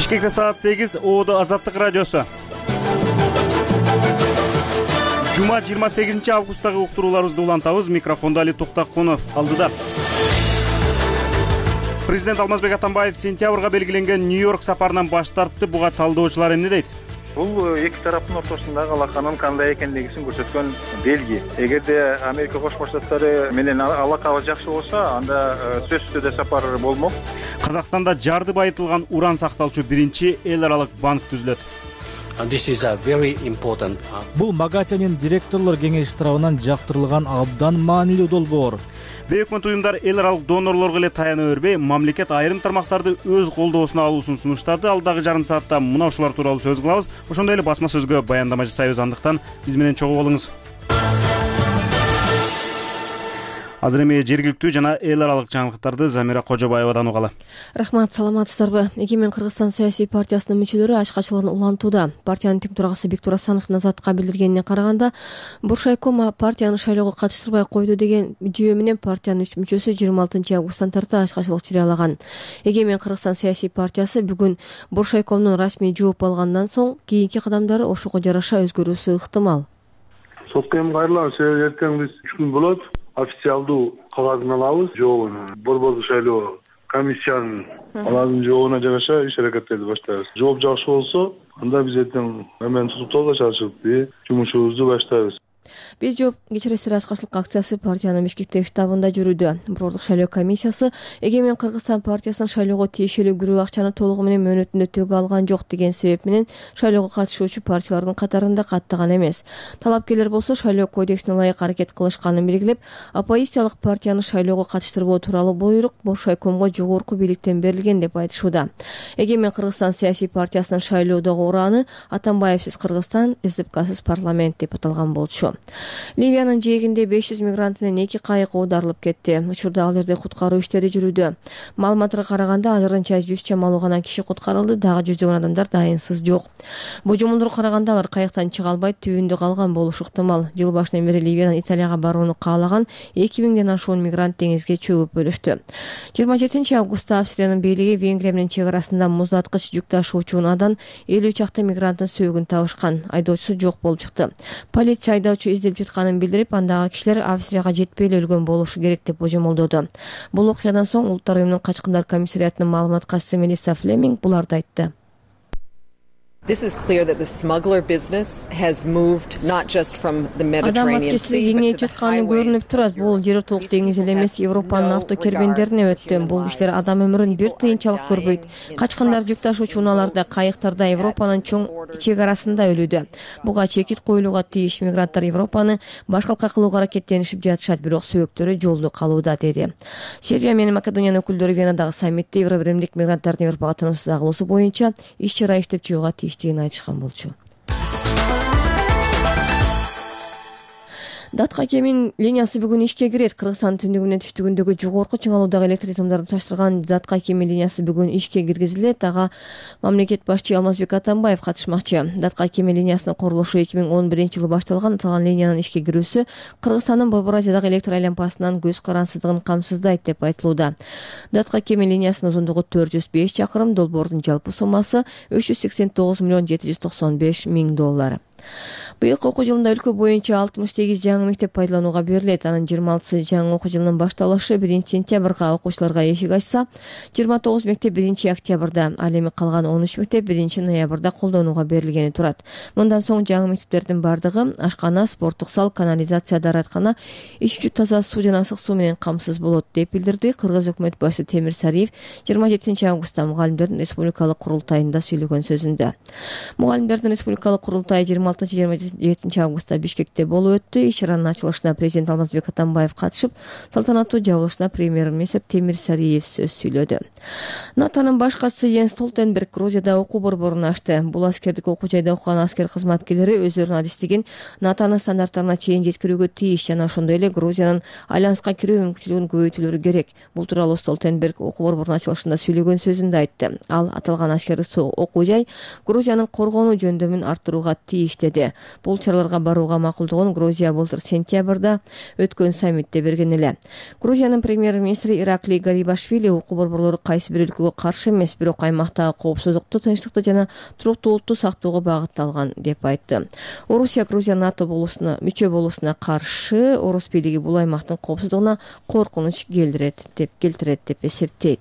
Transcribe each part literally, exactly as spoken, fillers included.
Бишкекте саат сегиз, Оодо Азаттык радиосу. Жума жыйырма сегизинчи августтагы уктурууларыбызды улантабыз. Микрофондо Али Токтакунов алдыда. Президент Алмазбек Атамбаев сентябрга белгиленген Нью-Йорк сапарынан баш тартты. Буга талдоочулар эмне дейт? Бул эки тараптын ортосундагы алаканын кандай экендигин көрсөткөн белги. Эгерде Америка Кошмо Штаттары менен алакабыз жакшы болсо, анда сөзсүз түрдө сапар болмок. Казакстанда жарды байытылган уран сакталчу биринчи эл аралык банк түзүлөт. Бул МАГАТЭнин директорлор кеңеши тарабынан жактырылган абдан маанилүү долбоор. Бейөкмөт уюмдар эл аралык донорлорго эле таяна бербей, мамлекет айрым тармактарды өз колдоосуна алуусун сунуштады. Алдагы жарым саатта мына ушулар тууралуу сөз кылабыз. Ошондой эле басма сөзгө баяндама жасайбыз. Андыктан биз менен чогуу болуңуз. Азыр эми жергиликтүү жана эл аралык жаңылыктарды Замира Кожобаевадан угалы. Рахмат, саламатсыздарбы? Эгемен Кыргызстан саясий партиясынын мүчөлөрү ачкачылыгын улантууда. Партиянын тең төрагасы Бектур Асановдун Азаттыкка билдиргенине караганда, Буршайком партияны шайлоого катыштырбай койду деген жүйө менен партиянын үч мүчөсү жыйырма алтынчы августтан тарта ачкачылык жарыялаган. Эгемен Кыргызстан саясий партиясы бүгүн Буршайкомдун расмий жооп алгандан соң кийинки кадамдары ошого жараша өзгөрүүсү ыктымал. Сотко эми кайрылабыз. Эртең биз үч күн болот. Официалдуу кагазын алабыз, жообун. Борбордук шайлоо комиссиянын алардын жообуна жараша иш аракеттерди баштайбыз. Жооп жакшы болсо, анда биз эртең эмен тутуктоого чачып, жумушубузду баштайбыз. Биз жооп кечиресиз ачкачылык акциясы партиянын Бишкектеги штабында жүрүүдө. Борбордук шайлоо комиссиясы Эгемен Кыргызстан партиясынын шайлоого тиешелүү күрөө акчаны толугу менен мөөнөтүндө төгө алган жок деген себеп менен шайлоого катышуучу партиялардын катарында каттаган эмес. Талапкерлер болсо шайлоо кодексине ылайык аракет кылышканын белгилеп, оппозициялык партияны шайлоого катыштырбоо тууралуу буйрук Буршайкомго жогорку бийликтен берилген деп айтышууда. Эгемен Кыргызстан саясий партиясынын шайлоодогу ураны Атамбаевсиз Кыргызстан, СДПКсыз парламент деп аталган болчу. Ливиянын жээгинде беш жүз мигрант менен эки кайык оодарылып кетти. Учурда ал жерде куткаруу иштери жүрүүдө. Маалыматтарга караганда азырынча жүз чамалуу гана киши куткарылды, дагы жүздөгөн адамдар дайынсыз жок. Божомолдорго караганда алар кайыктан чыга албай түбүндө калган болушу ыктымал. Жыл башынан бери Ливиядан Италияга барууну каалаган эки миңден ашуун мигрант деңизге чөгүп өлүштү. жыйырма жетинчи августта Австриянын бийлиги Венгрия менен чек арасында муздаткыч жүк ташуучу унаадан элүү чакты мигранттын сөөгүн табышкан. Айдоочусу жок болуп чыкты. Полиция айдоочу изделип жатканын билдирип, андагы кишилер Австрияга жетпей эле өлгөн болушу керек деп божомолдоду. Бул окуядан соң Улуттар уюмунун качкындар комиссариатынын маалымат катчысы Мелисса Флеминг буларды айтты. This is clear that the smuggler business has moved not just from the Mediterranean Sea but to the көрүнүп турат. Бул жер ортолук деңиз эле эмес, Европанын автокербендерине өттү. Бул кишилер адам өмүрүн бир тыйынчалык көрбөйт. Качкындар жүк ташуучу унааларда, кайыктарда Европанын чоң чек арасында өлүүдө. Буга чекит коюлууга тийиш. Мигранттар Европаны башкалка кылууга аракеттенишип жатышат, бирок сөөгүттөрү жолдо калууда, деди. Сербия менен Македониянын өкүлдөрү Венадагы саммитте Евробиримдик мигранттардын Европага тынымсыз агылуусу боюнча иш чара иштеп чыгууга тийиштигин айтышкан болчу. Датка кемин линиясы бүгүн ишке кирет. Кыргызстан түндүгү менен түштүгүндөгү жогорку чыңалуудагы электр сымдарды таштырган Датка кемин линиясы бүгүн ишке киргизилет. Ага мамлекет башчы Алмазбек Атамбаев катышмакчы. Датка кемин линиясынын курулушу эки миң он биринчи жылы башталган. Аталган линиянын ишке кирүүсү Кыргызстандын Борбор Азиядагы электр айланпасынан көз карансыздыгын камсыздайт деп айтылууда. Датка кемин линиясынын узундугу төрт жүз беш чакырым, долбоордун жалпы суммасы үч жүз сексен тогуз миллион жети жүз токсон беш миң доллар. Быйылкы окуу жылында өлкө боюнча алтымыш сегиз жаңы мектеп пайдаланууга берилет. Анын жыйырма алтысы жаңы окуу жылынын башталышы биринчи сентябрга окуучуларга эшик ачса, жыйырма тогуз мектеп биринчи октябрда, ал эми калган он үч мектеп биринчи ноябрда колдонууга берилгени турат. Мындан соң жаңы мектептердин бардыгы ашкана, спорттук зал, канализация, даараткана, ичүүчү таза суу жана ысык суу менен камсыз болот деп билдирди Кыргыз өкмөт башчысы Темир Сариев жыйырма жетинчи августта мугалимдердин республикалык курултайында сүйлөгөн сөзүндө. Мугалимдердин республикалык курултайы жыйырма алтынчы жыйырма жетинчи августта Бишкекте болуп өттү. Иш чаранын ачылышына президент Алмазбек Атамбаев катышып, салтанаттуу жабылышына премьер-министр Темир Сариев сөз сүйлөдү. НАТОнун баш катчысы Йенс Столтенберг Грузияда окуу борборун ачты. Бул аскердик окуу жайда окуган аскер кызматкерлери өздөрүнүн адистигин НАТОнун стандарттарына чейин жеткирүүгө тийиш жана ошондой эле Грузиянын альянска кирүү мүмкүнчүлүгүн көбөйтүүлөрү керек. Бул тууралуу Столтенберг окуу борборунун ачылышында сүйлөгөн сөзүндө айтты. Ал аталган аскердик окуу жай Грузиянын коргонуу жөндөмүн арттырууга тийиш иштеди. Бул чараларга барууга макулдугун Грузия былтыр сентябрда өткөн саммитте берген эле. Грузиянын премьер-министри Ираклий Гарибашвили укук борборлору кайсы бир өлкөгө каршы эмес, бирок аймактагы коопсуздукту, тынчтыкты жана туруктуулукту сактоого багытталган деп айтты. Орусия Грузия НАТО болуусуна мүчө болуусуна каршы, орус бийлиги бул аймактын коопсуздугуна коркунуч келтирет деп келтирет деп эсептейт.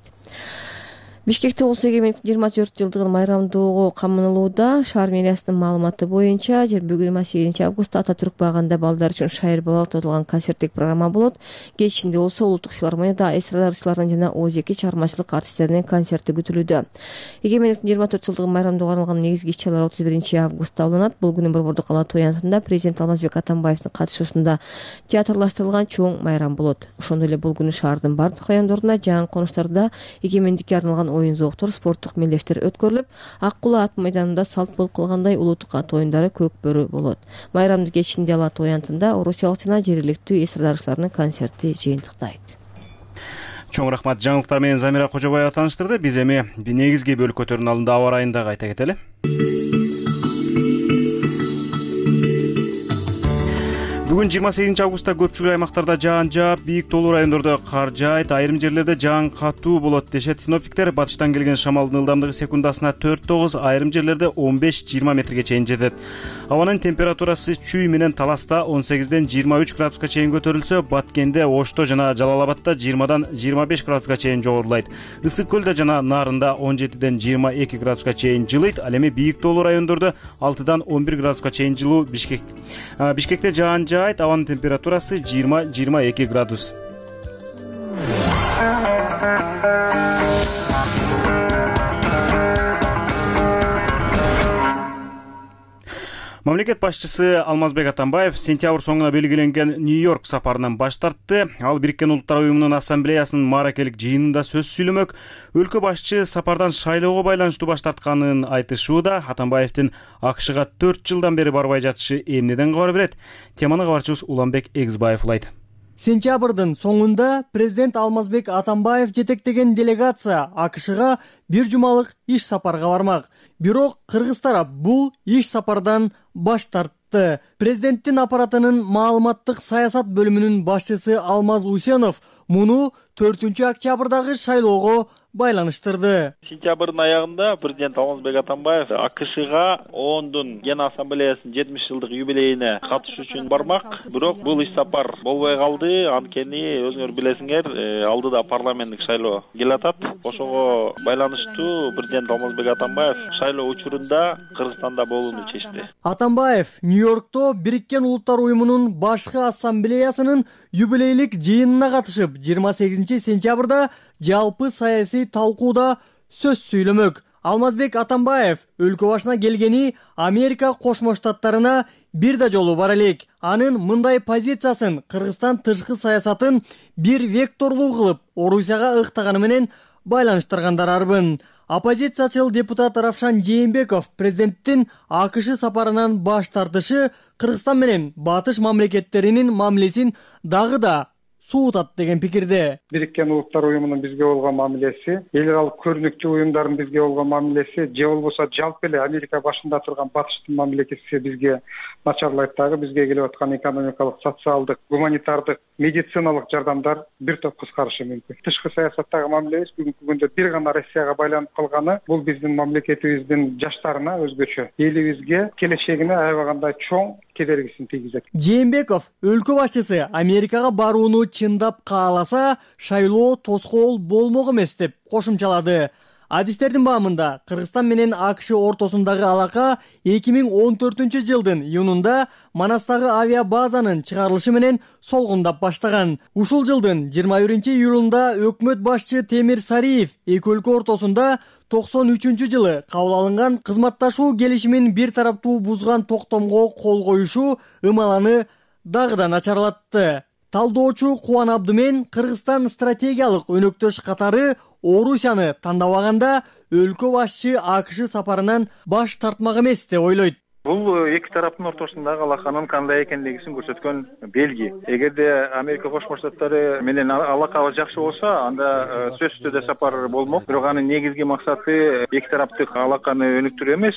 Бишкекте улус эгемендиктин жыйырма төрт жылдыгын майрамдоого камынылууда. Шаар мэриясынын маалыматы боюнча жыйырма сегизинчи августта Ататүрк багында балдар үчүн шайыр балалык тоотулган концерттик программа болот. Кечинде болсо улуттук филармонияда эстрадарчылардын жана Озеки чыгармачылык артисттеринин концерти күтүлүүдө. Эгемендиктин жыйырма төрт жылдыгын майрамдоого арналган негизги иш-чаралар отуз биринчи августта уланат. Бул күнү Борбордук кала тоянтында президент Алмазбек Атамбаевдин катышуусунда театрлаштырылган чоң майрам болот. Ошондой эле бул күнү шаардын бардык райондорунда, жаңы конуштарда эгемендикке арналган оюн-зооктор, спорттук мелдештер өткөрүлүп, Ак Кула ат майданында салт болуп калгандай улуттук ат оюндары көк бөрү болот. Майрамдын кечинде Ала тоянтында орусиялык жана жергиликтүү эстрадарчылардын концерти жыйынтыктайт. Чоң рахмат, жаңылыктар менен Замира Кожобаева тааныштырды. Биз эми негизги бөлкөтөрдүн алдында аба ырайында кайта кетели. Бүгүн жыйырма сегизинчи августта көпчүлүк аймактарда жаан жаап, бийик тоолуу райондордо кар жаайт, айрым жерлерде жаан катуу болот дешет синоптиктер. Батыштан келген шамалдын ылдамдыгы секундасына төрт тогуз, айрым жерлерде он беш жыйырма метрге чейин жетет. Абанын температурасы Чүй менен Таласта он сегизден жыйырма үч градуска чейин көтөрүлсө, Баткенде, Ошто жана Жалал-Абадта жыйырмадан жыйырма беш градуска чейин жогорулайт. Ысык көлдө жана Нарында он жетиден жыйырма эки градуска чейин жылыйт. Ал эми бийик тоолуу райондордо алтыдан он бир градуска чейин жылуу. Бишкек Бишкекте жаан жаайт, абанын температурасы жыйырма жыйырма эки градус. Мамлекет башчысы Алмазбек Атамбаев сентябрь соңуна белгиленген Нью-Йорк сапарынан баш тартты. Ал Бириккен Улуттар уюмунун ассамблеясынын мааракелик жыйынында сөз сүйлөмөк. Өлкө башчы сапардан шайлоого байланыштуу баш тартканын айтышууда. Атамбаевдин АКШга төрт жылдан бери барбай жатышы эмнеден кабар берет? Теманы кабарчыбыз Уланбек Эгизбаев улайт. Сентябрдын соңунда президент Алмазбек Атамбаев жетектеген делегация АКШга бир жумалык иш сапарга бармак. Бирок кыргыз тарап бул иш сапардан баш тартты. Президенттин аппаратынын маалыматтык саясат бөлүмүнүн башчысы Алмаз Усенов муну төртүнчү октябрдагы шайлоого байланыштырды. Сентябрдын аягында президент Алмазбек Атамбаев АКШга ООНдун Ген ассамблеясынын жетимиш жылдык юбилейине катышуу үчүн бармак. Бирок бул иш сапар болбой калды. Анткени өзүңөр билесиңер, алдыда парламенттик шайлоо келатат. Ошого байланыштуу президент Алмазбек Атамбаев шайлоо учурунда Кыргызстанда болууну чечти. Атамбаев Нью-Йоркто Бириккен Улуттар уюмунун башкы ассамблеясынын юбилейлик жыйынына катышып, жыйырма сегизинчи сентябрда жалпы саясий талкууда сөз сүйлөмөк. Алмазбек Атамбаев өлкө башына келгени Америка Кошмо Штаттарына бир да жолу бар элек. Анын мындай позициясын Кыргызстан тышкы саясатын бир векторлуу кылып Орусияга ыктаганы менен байланыштыргандар арбын. Оппозициячыл депутат Равшан Жээнбеков президенттин АКШ сапарынан баш тартышы Кыргызстан менен батыш мамлекеттеринин мамилесин дагы да суутат деген пикирде. Бириккен Улуттар уюмунун бизге болгон мамилеси, эл аралык көрүнүктүү уюмдардын бизге болгон мамилеси, же болбосо жалпы эле Америка башында турган батыштын мамлекети бизге начарлайт дагы. Бизге келип аткан экономикалык, социалдык, гуманитардык, медициналык жардамдар бир топ кыскарышы мүмкүн. Тышкы саясаттагы мамилебиз бүгүнкү күндө бир гана Россияга байланып калганы, бул биздин мамлекетибиздин жаштарына өзгөчө, элибизге, келечегине аябагандай чоң кедергисин тийгизет. Жээнбеков өлкө башчысы Америкага барууну чындап кааласа, шайлоо тоскоол болмок эмес деп кошумчалады. Адистердин баамында Кыргызстан менен АКШ ортосундагы алака эки миң он төртүнчү жылдын июнунда Манастагы авиабазанын чыгарылышы менен солгундап баштаган. Ушул жылдын жыйырма биринчи июлунда өкмөт башчы Темир Сариев эки өлкө ортосунда токсон үчүнчү жылы кабыл алынган кызматташуу келишимин бир тараптуу бузган токтомго кол коюшу ымаланы дагы да начарлатты. Талдоочу Кубан Абдымен Кыргызстан стратегиялык өнөктөш катары Орусияны тандабаганда өлкө башчы АКШ сапарынан баш тартмак эмес деп ойлойт. Бул эки тараптын ортосундагы алаканын кандай экендигин көрсөткөн белги. Эгерде Америка Кошмо Штаттары менен алакабыз жакшы болсо, анда сөзсүз түрдө сапар болмок. Бирок анын негизги максаты эки тараптык алаканы өнүктүрүү эмес,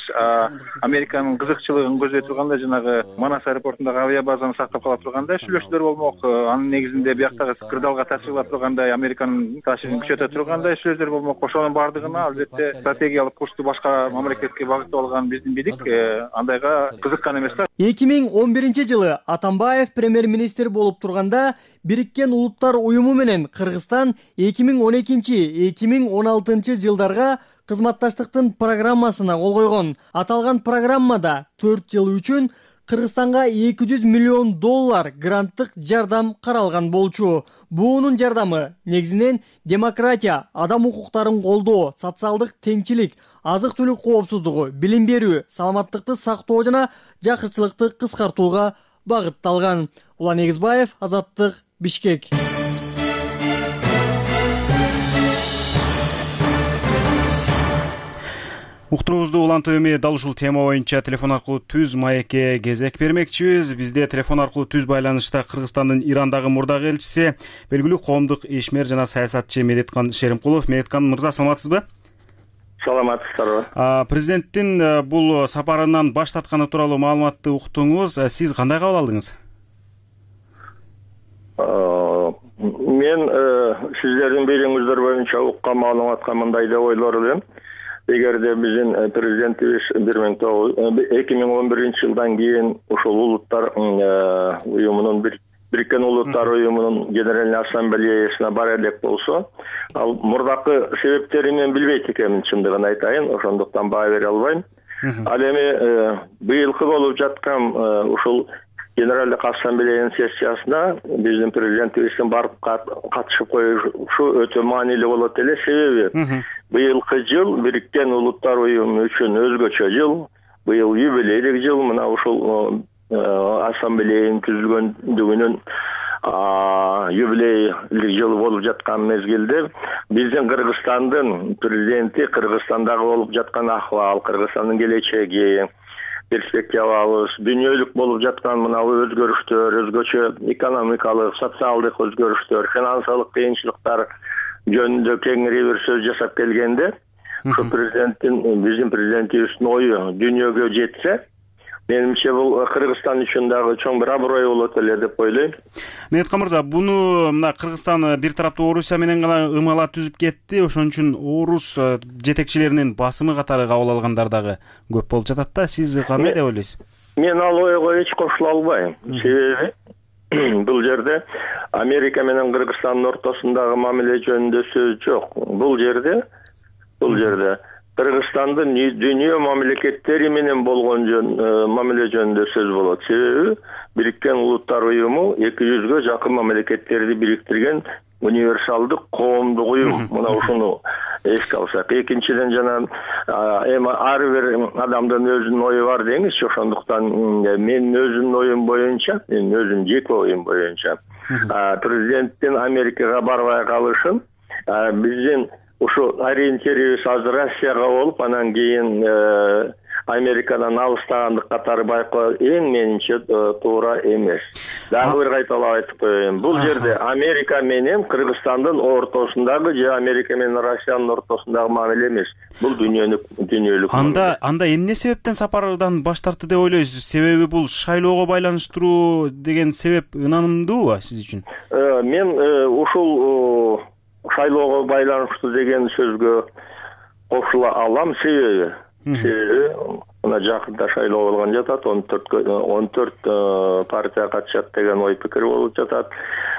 Американын кызыкчылыгын көздөй тургандай жанагы Манас аэропортундагы авиабазаны сактап кала тургандай сүйлөшүүлөр болмок. Анын негизинде бияктагы кырдаалга таасир кыла тургандай, Американын таасирин күчөтө тургандай сүйлөшүүлөр болмок. Ошонун баардыгына албетте стратегиялык курсту башка мамлекетке багыттап алган биздин бийлик андайга кызыккан эмес да. эки миң он биринчи жылы Атамбаев премьер-министр болуп турганда Бириккен Улуттар уюму менен Кыргызстан эки миң он экинчи — эки миң он алтынчы жылдарга кызматташтыктын программасына кол койгон. Аталган программада төрт жыл үчүн Кыргызстанга эки жүз миллион доллар гранттык жардам каралган болчу. Буунун жардамы негизинен демократия, адам укуктарын колдоо, социалдык теңчилик, азык-түлүк коопсуздугу, билим берүү, саламаттыкты сактоо жана жакырчылыкты кыскартууга багытталган. Улан Эгизбаев, Азаттык, Бишкек. Уктуруубузду улантуу эми дал ушул тема боюнча телефон аркылуу түз маекке кезек бермекчибиз. Бизде телефон аркылуу түз байланышта Кыргызстандын Ирандагы мурдагы элчиси, белгилүү коомдук ишмер жана саясатчы Медеткан Шеримкулов. Медеткан мырза, саламатсызбы? Саламатсыздарбы. Президенттин бул сапарынан баш тартканы тууралуу маалыматты уктуңуз. Сиз кандай кабыл алдыңыз? Мен сиздердин берүүңүздөр боюнча уккан маалыматка мындай деп ойлор элем. Эгерде биздин президентибиз эки миң он биринчи жылдан кийин ушул улуттар уюмунун Бириккен Улуттар уюмунун Генеральный ассамблеясына бара элек болсо, ал мурдакы себептерин мен билбейт экенмин, чындыгын айтайын, ошондуктан баа бере албайм. Ал эми быйылкы болуп жаткан ушул Генералдык ассамблеянын сессиясына биздин президентибиздин барып катышып коюшу өтө маанилүү болот эле. Себеби быйылкы жыл Бириккен Улуттар уюму үчүн өзгөчө жыл, быйыл юбилейлик жыл. Мына ушул ассамблеянын түзүлгөндүгүнүн юбилейлик жылы болуп жаткан мезгилде биздин Кыргызстандын президенти Кыргызстандагы болуп жаткан акыбал, Кыргызстандын келечеги, перспективабыз, дүйнөлүк болуп жаткан мына өзгөрүштөр, өзгөчө экономикалык, социалдык өзгөрүштөр, финансылык кыйынчылыктар жөнүндө кеңири бир сөз жасап келгенде, ушу президенттин, биздин президентибиздин ою дүйнөгө жетсе, менимче бул Кыргызстан үчүн дагы чоң бир аброй болот эле деп ойлойм. Медеткан мырза, буну мына Кыргызстан бир тараптуу Орусия менен гана ымала түзүп кетти. Ошон үчүн орус жетекчилеринин басымы катары кабыл алгандар дагы көп болуп жатат да. Сиз кандай деп ойлойсуз? Мен ал ойго эч кошула албайм. Себеби бул жерде Америка менен Кыргызстандын ортосундагы мамиле жөнүндө сөз жок. Бул жерде бул жерде Кыргызстандын дүйнө мамлекеттери менен болгон жөн мамиле жөнүндө сөз болот. Себеби Бириккен Улуттар уюму эки жүзгө жакын мамлекеттерди бириктирген универсалдык коомдук уюм. Мына ушуну эске алсак. Экинчиден жана эми ар бир адамдын өзүнүн ою бар деңизчи. Ошондуктан менин өзүмдүн оюм боюнча, менин өзүмдүн жеке оюм боюнча президенттин Америкага барбай калышын биздин ушу ориентирибиз азыр Россияга болуп, анан кийин Америкадан алыстагандык катары байкоо эң менимче туура эмес. Дагы бир кайталап айтып коеюн. Бул жерде Америка менен Кыргызстандын ортосундагы же Америка менен Россиянын ортосундагы мамиле эмес. Бул дүйнөлүк дүйнөлүк. Анда анда эмне себептен сапардан баш тартты деп ойлойсуз? Себеби бул шайлоого байланыштыруу деген себеп ынанымдуубу сиз үчүн? Мен ушул шайлоого байланыштуу деген сөзгө кошула алам. Себеби себеби мына жакында шайлоо болгон жатат, он төрт партия катышат деген ой пикир болуп жатат.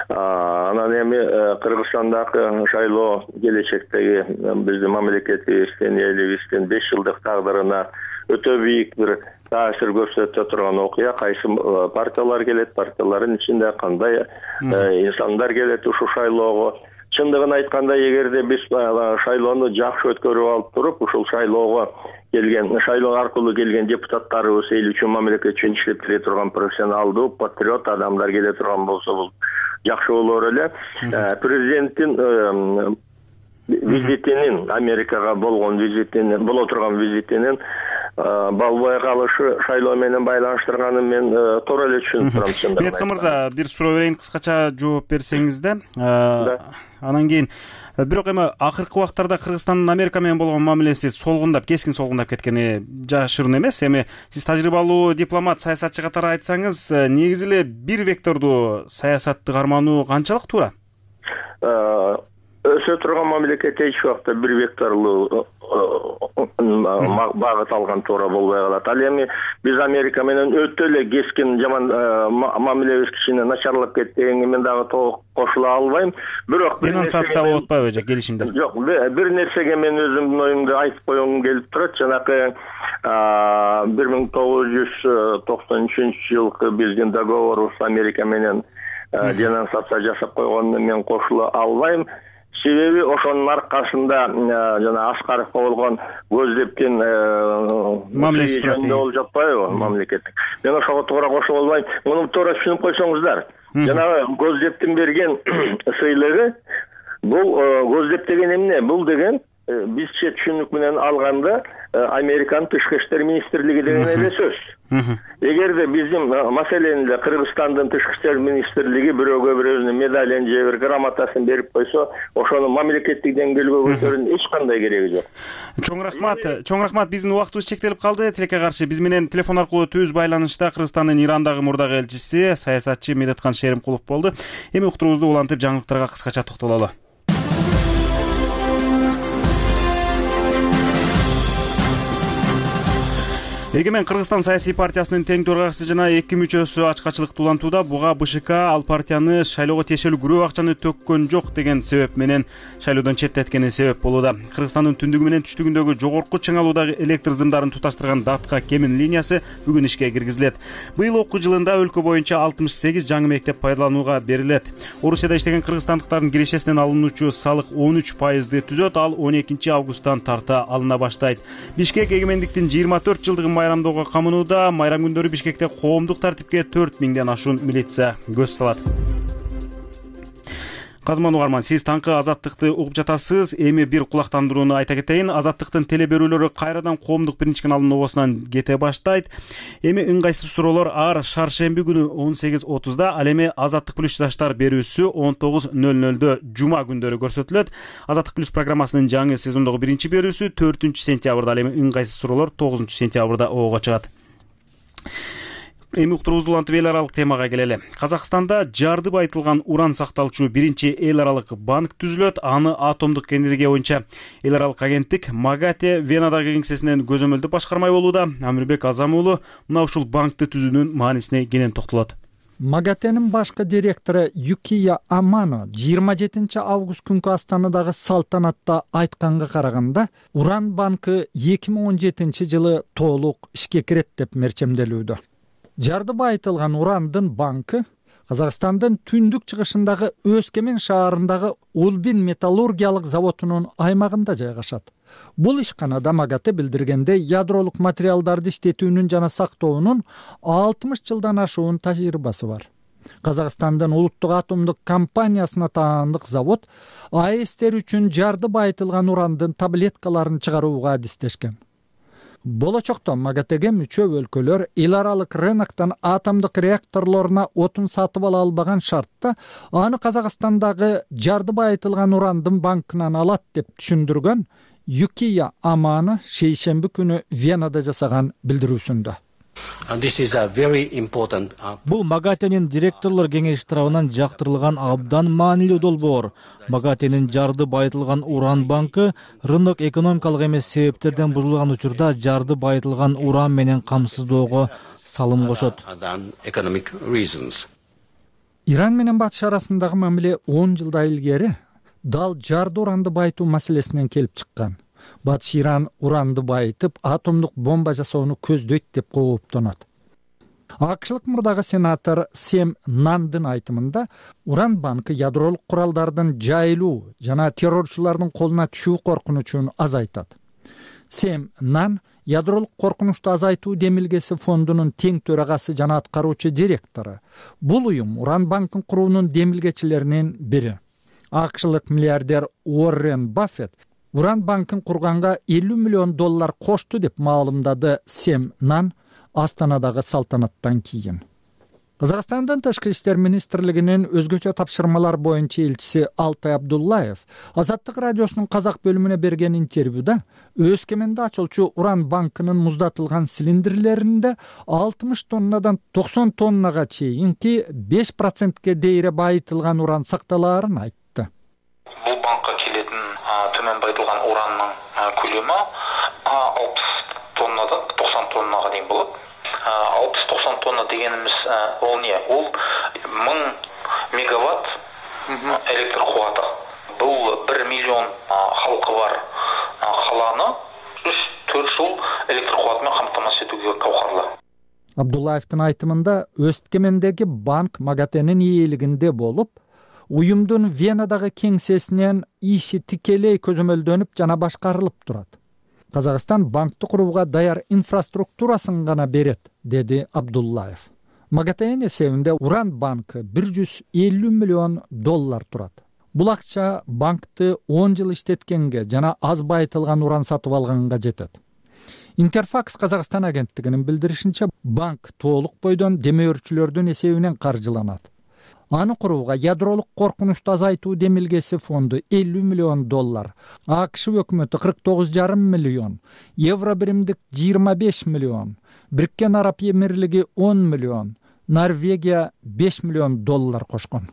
Анан эми Кыргызстандагы шайлоо келечектеги биздин мамлекетибиздин, элибиздин беш жылдык тагдырына өтө бийик бир таасир көрсөтө турган окуя. Кайсы партиялар келет, партиялардын ичинде кандай инсандар келет ушул шайлоого. Чындыгын айтканда, эгерде биз шайлоону жакшы өткөрүп алып туруп, ушул шайлоого келген, шайлоо аркылуу келген депутаттарыбыз эл үчүн, мамлекет үчүн иштеп келе турган профессионалдуу, патриот адамдар келе турган болсо, бул жакшы болор эле. Президенттин визитинин, Америкага болгон визитинин, боло турган визитинин болбой калышы шайлоо менен байланыштырганын мен туура эле түшүнүп турам. чындыгын Бетка мырза, бир суроо берейин, кыскача жооп берсеңиз да. Анан кийин бирок эми акыркы убактарда Кыргызстандын Америка менен болгон мамилеси солгундап, кескин солгундап кеткени жашыруун эмес. Эми сиз тажрыйбалуу дипломат, саясатчы катары айтсаңыз, негизи эле бир вектордуу саясатты кармануу канчалык туура? Өсө турган мамлекет эч убакта бир векторлуу багыт алган туура болбой калат. Ал эми биз Америка менен өтө эле кескин жаман мамилебиз кичине начарлап кетти дегенге мен дагы толук кошула албайм. Бирок денонсация болуп атпайбы же келишимдер? Жок, бир нерсеге мен өзүмдүн оюмду айтып койгум келип турат. Жанакы бир миң тогуз жүз токсон үчүнчү жылкы биздин договорубуз Америка менен денонсация жасап койгонуна мен кошула албайм. Себеби ошонун аркасында жана Аскаровго болгон көздөптүн мамилеси жөнүндө болуп жатпайбы мамлекеттик. Мен ошого туура кошула албайм. Муну туура түшүнүп койсоңуздар. Жанагы көздөптүн берген сыйлыгы бул көздеп деген эмне? Бул деген бизче түшүнүк менен алганда Американын тышкы иштер министрлиги деген эле сөз. Эгерде биздин маселени эле Кыргызстандын тышкы иштер министрлиги бирөөгө бир өзүнүн медалин же бир грамотасын берип койсо, ошону мамлекеттик деңгээлге көтөрүүнүн эч кандай кереги жок. Чоң рахмат. Чоң рахмат. Биздин убактыбыз чектелип калды. Тилекке каршы биз менен телефон аркылуу түз байланышта Кыргызстандын Ирандагы мурдагы элчиси, саясатчы Медеткан Шеримкулов болду. Эми уктуруубузду улантып жаңылыктарга кыскача токтололу. Эгемен Кыргызстан саясий партиясынын тең төрагачысы жана эки мүчөсү ачкачылыкты улантууда. Буга БШК ал партияны шайлоого тиешелүү күрөө акчаны төккөн жок деген себеп менен шайлоодон четтеткени себеп болууда. Кыргызстандын түндүгү менен түштүгүндөгү жогорку чыңалуудагы электр сымдарын туташтырган Датка кемин линиясы бүгүн ишке киргизилет. Быйыл окуу жылында өлкө боюнча алтымыш сегиз жаңы мектеп пайдаланууга берилет. Орусияда иштеген кыргызстандыктардын кирешесинен алынуучу салык он үч пайызды түзөт, ал он экинчи августтан тарта алына баштайт. Бишкек эгемендиктин жыйырма төрт жылдыгын майрамдоого камынууда. Майрам күндөрү Бишкекте коомдук тартипке төрт миңден ашуун милиция көз салат. Кадырман угарман, сиз таңкы Азаттыкты угуп жатасыз. Эми бир кулактандырууну айта кетейин. Азаттыктын теле берүүлөрү кайрадан коомдук биринчи каналынын обосунан кете баштайт. Эми ыңгайсыз суроолор ар шаршемби күнү он сегиз отузда, ал эми Азаттык плюс жаштар берүүсү он тогуз нөл нөлдө жума күндөрү көрсөтүлөт. Азаттык плюс программасынын жаңы сезондогу биринчи берүүсү төртүнчү сентябрда, ал эми ыңгайсыз суроолор тогузунчу сентябрда ого чыгат. Эми уктуруубузду улантып эл аралык темага келели. Казакстанда жарды байытылган уран сакталчу биринчи эл аралык банк түзүлөт. Аны атомдук энергия боюнча эл аралык агенттик МАГАТЭ Венадагы кеңсесинен көзөмөлдү башкармай болууда. Амирбек Азам уулу мына ушул банкты түзүүнүн маанисине кенен токтолот. МАГАТЭнин башкы директору Юкия Амано жыйырма жетинчи август күнкү Астанадагы салтанатта айтканга караганда, уран банкы эки миң он жетинчи жылы толук ишке кирет деп мерчемделүүдө. Жарды байытылган урандын банкы Казакстандын түндүк чыгышындагы Өскемен шаарындагы Улбин металлургиялык заводунун аймагында жайгашат. Бул ишканада МАГАТЭ билдиргенде ядролук материалдарды иштетүүнүн жана сактоонун алтымыш жылдан ашуун тажрыйбасы бар. Казакстандын улуттук атомдук компаниясына таандык завод АЭСтер үчүн жарды байытылган урандын таблеткаларын чыгарууга адистешкен. Болочокто МАГАТЭге мүчө өлкөлөр эл аралык рыноктон атомдук реакторлоруна отун сатып ала албаган шартта аны Казакстандагы жарды байытылган урандын банкынан алат деп түшүндүргөн Юкия Амано шейшемби күнү Венада жасаган билдирүүсүндө. Бул МАГАТЭнин директорлор кеңеши тарабынан жактырылган абдан маанилүү долбоор. МАГАТЭнин жарды байытылган уран банкы рынок экономикалык эмес себептерден бузулган учурда жарды байытылган уран менен камсыздоого салым кошот. Иран менен Батыш арасындагы мамиле он жылдай илгери дал жарды уранды байытуу маселесинен келип чыккан. Батыш Иран уранды байытып, атомдук бомба жасоону көздөйт деп кооптонот. АКШлык мурдагы сенатор Сэм Нандын айтымында, уран банкы ядролук куралдардын жайылуу жана террорчулардын колуна түшүү коркунучун азайтат. Сэм Нан ядролук коркунучту азайтуу демилгеси фондунун тең төрагасы жана аткаруучу директору. Бул уюм уран банкын куруунун демилгечилеринин бири. АКШлык миллиардер Уоррен Баффет Уран банкын курганга элүү миллион доллар кошту деп маалымдады Сэм Нан Астанадагы салтанаттан кийин. Казакстандын Тышкы иштер министрлигинин өзгөчө тапшырмалар боюнча элчиси Алтай Абдуллаев Азаттык радиосунун казак бөлүмүнө берген интервьюда Өскеменде ачылчу Уран банкынын муздатылган цилиндрлеринде алтымыш тоннадан токсон тоннага чейинки беш процентке дейре байытылган уран сакталаарын айтты. Бул банкка келетін төмен байытылган уранның көлөмү алпыс тоннадан токсон тоннага дейин болот. алпыс токсон тонна дегенimiz ол не? Ол мың мегаватт электр кубаты. Бул бир миллион халкы бар каланы үч төрт жыл электр кубаты менен камтамасыз этүүгө кабкарлы. Абдуллаевдин айтымында Өскемендеги банк МАГАТЭнин ээлигинде болуп, уюмдун Венадагы кеңсесинен иши тикелей көзөмөлдөнүп жана башкарылып турат. Казакстан банкты курууга даяр инфраструктурасын гана берет, деди Абдуллаев. МАГАТЭнин эсебинде Уран банкы бир жүз элүү миллион доллар турат. Бул акча банкты он жыл иштеткенге жана аз байытылган уран сатып алганга жетет. Интерфакс Казакстан агенттигинин билдиришинче, банк толук бойдон демөөрчүлөрдүн эсебинен каржыланат. Аны курууга ядролук коркунучту азайтуу демилгеси фонду элүү миллион доллар, АКШ өкмөтү кырк тогуз жарым миллион, Евро биримдик жыйырма беш миллион, Бириккен Араб Эмирлиги он миллион, Норвегия беш миллион доллар кошкон.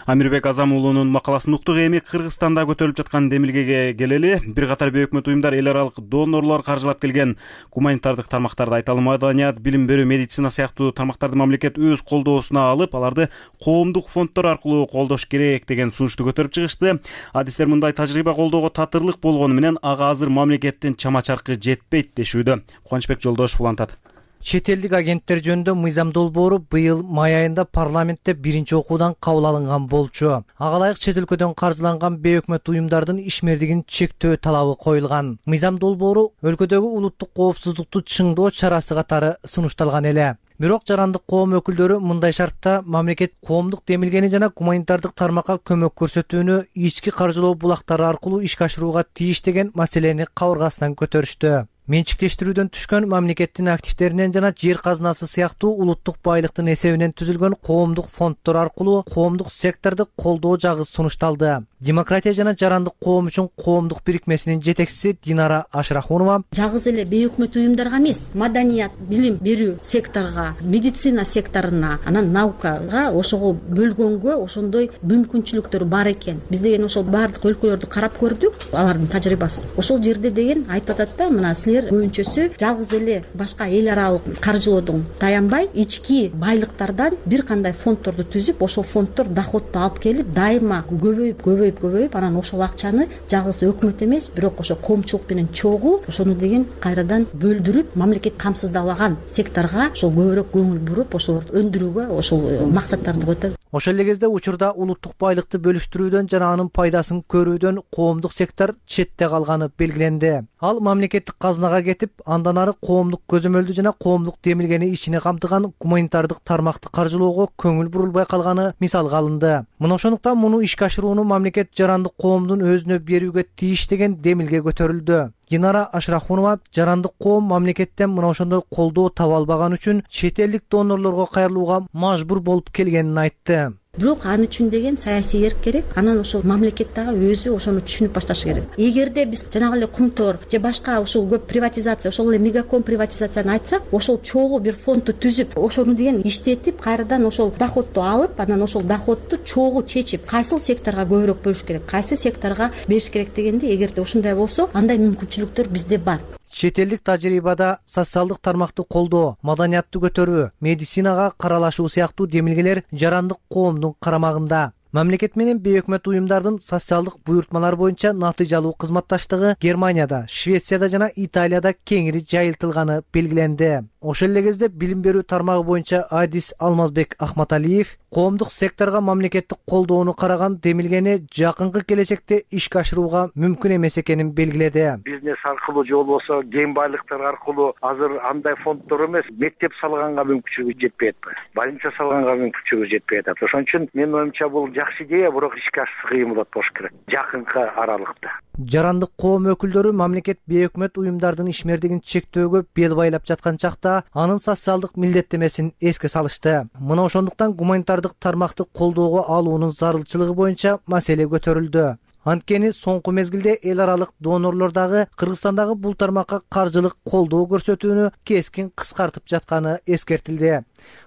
Амирбек Азам уулунун макаласын уктук. Эми Кыргызстанда көтөрүлүп жаткан демилгеге келели. Бир катар бейөкмөт уюмдар эл аралык донорлор каржылап келген гуманитардык тармактарды айталы. Маданият, билим берүү, медицина сыяктуу тармактарды мамлекет өз колдоосуна алып, аларды коомдук фонддор аркылуу колдош керек деген сунушту көтөрүп чыгышты. Адистер мындай тажрыйба колдоого татырлык болгону менен ага азыр мамлекеттин чама-чаркы жетпейт дешүүдө. Кубанычбек Жолдошев улантат. Чет элдик агенттер жөнүндө мыйзам долбоору быйыл май айында парламентте биринчи окуудан кабыл алынган болчу. Ага ылайык чет өлкөдөн каржыланган бейөкмөт уюмдардын ишмердигин чектөө талабы коюлган. Мыйзам долбоору өлкөдөгү улуттук коопсуздукту чыңдоо чарасы катары сунушталган эле. Бирок жарандык коом өкүлдөрү мындай шартта мамлекет коомдук демилгени жана гуманитардык тармакка көмөк көрсөтүүнү ички каржылоо булактары аркылуу ишке ашырууга тийиш деген маселени кабыргасынан көтөрүштү. Менчиктештирүүдөн түшкөн мамлекеттин активдеринен жана жер казынасы сыяктуу улуттук байлыктын эсебинен түзүлгөн коомдук фонддор аркылуу коомдук секторду колдоо жагы сунушталды. Демократия жана жарандык коом үчүн коомдук бирикмесинин жетекчиси Динара Ашрахунова жагыз эле бейөкмөт уюмдарга эмес, маданият, билим берүү секторуна, медицина секторуна, анан наукага ошого бөлгөнгө ошондой мүмкүнчүлүктөр бар экен. Биз деген ошол баардык өлкөлөрдү карап көрдүк, алардын тажрыйбасын. Ошол жерде деген айтып атат да, мына силер көбүнчөсү жалгыз эле башка эл аралык каржылоодон таянбай, ички байлыктардан бир кандай фонддорду түзүп, ошол фонддор доходду алып келип, дайыма көбөйүп, көбөйүп, көбөйүп, анан ошол акчаны жалгыз өкмөт эмес, бирок ошо коомчулук менен чогуу ошону деген кайрадан бөлдүрүп, мамлекет камсыздабаган секторго ошол көбүрөөк көңүл буруп, ошолорду өндүрүүгө, ошол максаттарды көтөрүп. Ошол эле кезде учурда улуттук байлыкты бөлүштүрүүдөн жана анын пайдасын көрүүдөн коомдук сектор четте калганы белгиленди. Ал мамлекеттик казынага кетип, андан ары коомдук көзөмөлдү жана коомдук демилгени ичине камтыган гуманитардык тармакты каржылоого көңүл бурулбай калганы мисалга алынды. Мына ошондуктан муну ишке ашырууну мамлекет жарандык коомдун өзүнө берүүгө тийиш деген демилге көтөрүлдү. Динара Ашрахунова жарандык коом мамлекеттен мына ошондой колдоо таба албаган үчүн чет элдик донорлорго кайрылууга мажбур болуп келгенин айтты. Бирок аны үчүн деген саясий эрк керек. Анан ошол мамлекет дагы өзү ошону түшүнүп башташы керек. Эгерде биз жанагы эле Кумтор же башка ошол көп приватизация, ошол эле мегаком приватизацияны айтсак, ошол чогуу бир фондду түзүп, ошону деген иштетип, кайрадан ошол доходду алып, анан ошол доходду чогуу чечип, кайсыл секторго көбүрөөк бөлүш керек, кайсы секторго бериш керек дегенде, эгерде ушундай болсо, андай мүмкүнчүлүктөр бизде бар. Чет элдик тажрыйбада социалдык тармакты колдоо, маданиятты көтөрүү, медицинага каралашуу сыяктуу демилгелер жарандык коомдун карамагында. Мамлекет менен бейөкмөт уюмдардын социалдык буйртмалар боюнча натыйжалуу кызматташтыгы Германияда, Швецияда жана Италияда кеңири жайылтылганы белгиленди. Ошол эле кезде билим берүү тармагы боюнча Адис Алмазбек Ахматалиев коомдук секторго мамлекеттик колдоону караган демилгени жакынкы келечекте ишке ашырууга мүмкүн эмес экенин белгиледи. Бизнес аркылуу же болбосо кен байлыктар аркылуу азыр андай фонддор эмес, мектеп салганга мүмкүнчүлүгү жетпей атпайбы, больница салганга мүмкүнчүлүгү жетпей атат. Ошон үчүн менин оюмча бул жакшы идея, бирок ишке ашышы кыйын болот болуш керек жакынкы аралыкта. Жарандык коом өкүлдөрү мамлекет бейөкмөт уюмдардын ишмердигин чектөөгө бел байлап жаткан чакта анын социалдык милдеттемесин эске салышты. Мына ошондуктан гуманитардык тармакты колдоого алуунун зарылчылыгы боюнча маселе көтөрүлдү. Анткени соңку мезгилде эл аралык донорлор дагы Кыргызстандагы бул тармакка каржылык колдоо көрсөтүүнү кескин кыскартып жатканы эскертилди.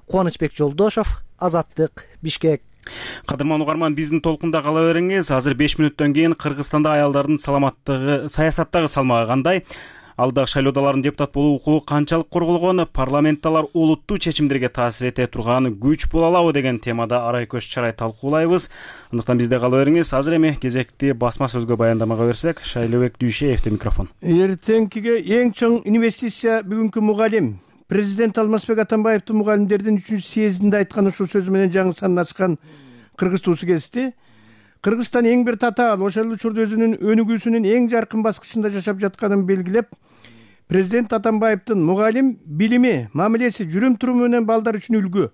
Кубанычбек Жолдошов, Азаттык, Бишкек. Кадырман угарман, биздин толкунда кала бериңиз. Азыр беш мүнөттөн кийин Кыргызстанда аялдардын саламаттыгы, саясаттагы салмагы кандай? Алдағы шайлоодалардын депутат болуу укугу канчалык корголгон? Парламентталар олуттуу чечимдерге таасир эте турган күч боло алабы деген темада арай көз чарай талкуулайбыз. Андыктан бизде кала бериңиз. Азыр эми кезекти басма сөзгө баяндамага берсек, Шайлообек Дүйшеевде микрофон. Эртеңкиге эң чоң инвестиция бүгүнкү мугалим. Президент Алмазбек Атамбаевдин мугалимдердин үчүнчү съездинде айткан ушул сөзү менен жаңы санын ачкан Кыргыз туусу кести. Кыргызстан эң бир татаал, ошол учурда өзүнүн өнүгүүсүнүн эң жаркын баскычында жашап жатканын белгилеп, президент Атамбаевдин мугалим билими, мамилеси, жүрүм-туруму менен балдар үчүн үлгү,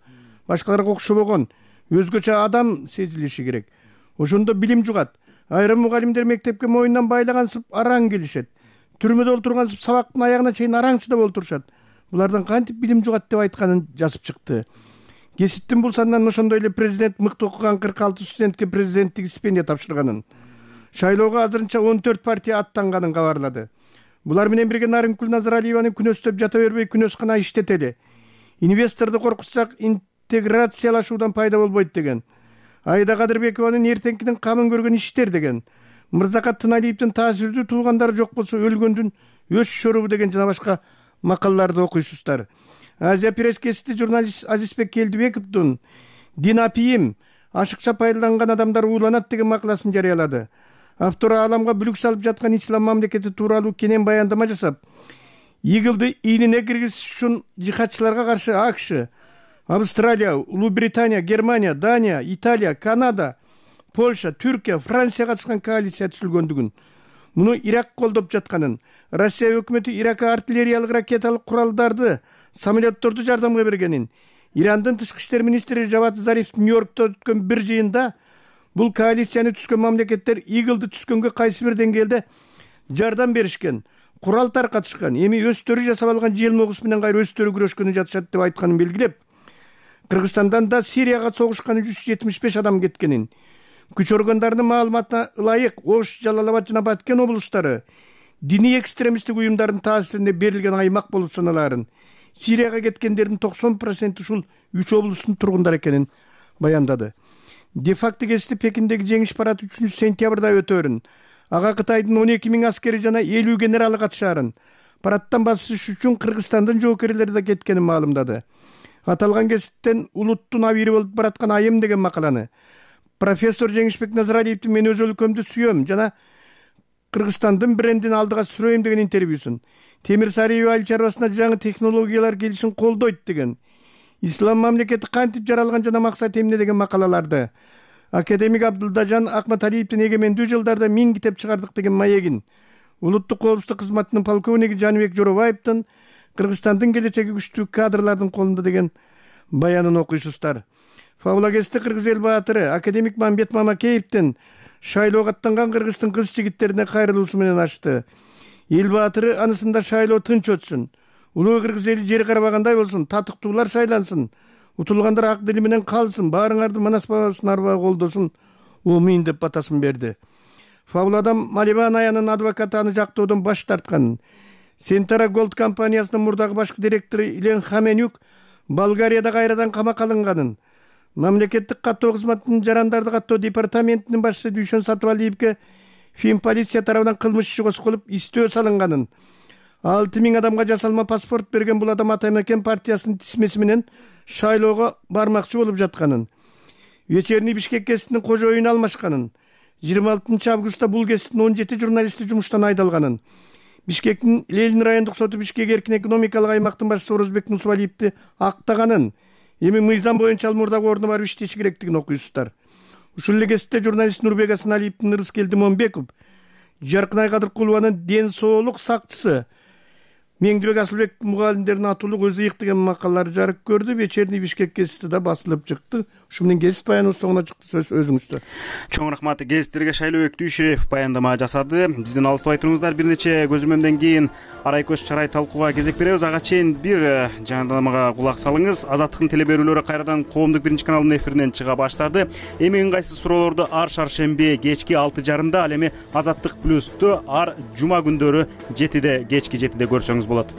башкаларга окшобогон, өзгөчө адам сезилиши керек. Ошондо билим жугат. Айрым мугалимдер мектепке моюндан байлагансып араң келишет. Түрмөдө олтургансып сабактын аягына чейин араң чыдап олтурушат. Булардан кантип билим жугат деп айтканын жазып чыкты. Кесиптин бул санынан ошондой эле президент мыкты окуган кырк алты студентке президенттик стипендия тапшырганын, шайлоого азырынча он төрт партия аттанганын кабарлады. Булар менен бирге Нарынкүл Назаралиеваны күнөстөп жата бербей күнөскана иштетели. Инвесторду коркутсак интеграциялашуудан пайда болбойт деген. Айда Кадырбекованын эртеңкинин камын көргөн иштер деген. Мырзакат Тыналиевдин таасирдүү туугандары жок болсо өлгөндүн өз шорубу деген жана башка макалаларды окуйсуздар. Азия пресс-гезити журналист Азизбек Келдибековдун «Дин апийим, ашыкча пайдаланган адамдар ууланат» деген макаласын жарыялады. Автор ааламга бүлүк салып жаткан ислам мамлекети тууралуу кенен баяндама жасап, игилди ийнине киргизиш үчүн жихадчыларга каршы АКШ, Австралия, Улуу Британия, Германия, Дания, Италия, Канада, Польша, Түркия, Франция катышкан коалиция түзүлгөндүгүн, муну Ирак колдоп жатканын, Россия өкмөтү Иракка артиллериялык ракеталык куралдарды, самолетторду жардамга бергенин, Ирандын тышкы иштер министри Жавад Зариф Нью-Йоркто өткөн бир жыйында бул коалицияны түзгөн мамлекеттер игилди түзгөнгө кайсы бир деңгээлде жардам беришкен, курал таркатышкан, эми өздөрү жасап алган желмогус менен кайра өздөрү күрөшкөнү жатышат деп айтканын белгилеп, Кыргызстандан да Сирияга согушкан жүз жетимиш беш адам кеткенин, күч органдарынын маалыматына ылайык Ош, Жалалабад жана Баткен облустары диний экстремисттик уюмдардын таасирине берилген аймак болуп саналарын, Сирияга кеткендердин токсон проценти ушул үч облустун тургундары экенин баяндады. Де-факто гезити Пекиндеги жеңиш парады үчүнчү сентябрда өтөөрүн, ага Кытайдын он эки миң аскери жана элүү генералы катышаарын, парадтан басыш үчүн Кыргызстандын жоокерлери да кеткенин маалымдады. Аталган гезиттен улуттун абийири болуп бараткан айым деген макаланы профессор Жеңишбек Назаралиевдин «Мен өз өлкөмдү сүйөм» жана Кыргызстандын брендин алдыга сүрөйм деген интервьюсун, Темир Сариева айыл чарбасына жаңы технологиялар келишин колдойт деген, ислам мамлекети кантип жаралган жана максат эмне деген макалаларды, академик Абдылдажан Акматалиевдин эгемендүү жылдарда миң китеп чыгардык деген маегин, улуттук коопсуздук кызматынын полковниги Жаныбек Жоробаевдин Кыргызстандын келечеги күчтүү кадрлардын колунда деген баянын окуйсуздар. Фабула гезити Кыргыз эл баатыры академик Мамбет Мамакеевдин шайлоого аттанган Кыргыздын кыз жигиттерине кайрылуусу менен ачты. Эл баатыры анысында шайлоо тынч өтсүн, улуу Кыргыз эли жери карабагандай болсун, татыктуулар шайлансын, утулгандар ак дили менен калсын, баарыңарды Манас бабасын арбага колдосун, умин деп батасын берди. Фабуладан Малибан аянын адвокаты аны жактоодон баш тартканын, Сентара Голд компаниясынын мурдагы башкы директору Илен Хаменюк Болгарияда кайрадан камакка алынганын, мамлекеттик каттоо кызматынын жарандарды каттоо департаментинин башчысы Дүйшөн Сатыбалиевге Фин полиция тарабынан кылмыш иши козголуп, истөө салынганын, алты миң адамга жасалма паспорт берген бул адам Атамекен партиясынын тизмеси менен шайлоого бармакчы болуп жатканын, Вечерний Бишкек гезитинин кожоюну алмашканын, жыйырма алтынчы августта бул гезиттин он жети журналисти жумуштан айдалганын, Бишкектин Ленин райондук соту Бишкек эркин экономикалык аймактын башчысы Орозбек Нусубалиевди актаганын, эми мыйзам боюнча ал мурдагы ордуна барып иштеши керектигин окуйсуздар. Ушул эле гезитте журналист Нурбек Асаналиевдин Ырыскелди Момбеков Жаркынай Кадыркулованын ден соолук сакчысы меңдибек асылбек мугалимдердин атуулук өзү ыйык деген макалалары жарык көрдү. Вечерний Бишкек гезити да басылып чыкты. Ушу менен гезит баяныбыз соңуна чыкты. Сөз өзүңүздө. Чоң рахмат. Гезиттерге Шайлоо Өктүшев баяндама жасады. Бизден алыстабай туруңуздар. Бир нече көзөмөмдөн кийин арай көз чарай талкууга кезек беребиз. Ага чейин бир жаңыламага кулак салыңыз. Азаттыктын теле берүүлөрү кайрадан Коомдук биринчи каналынын эфиринен чыга баштады. Эми ыңгайсыз суроолорду ар шаршемби кечки алты жарымда, ал эми Азаттык плюсту ар жума күндөрү жетиде, кечки жетиде көрсөңүз болот.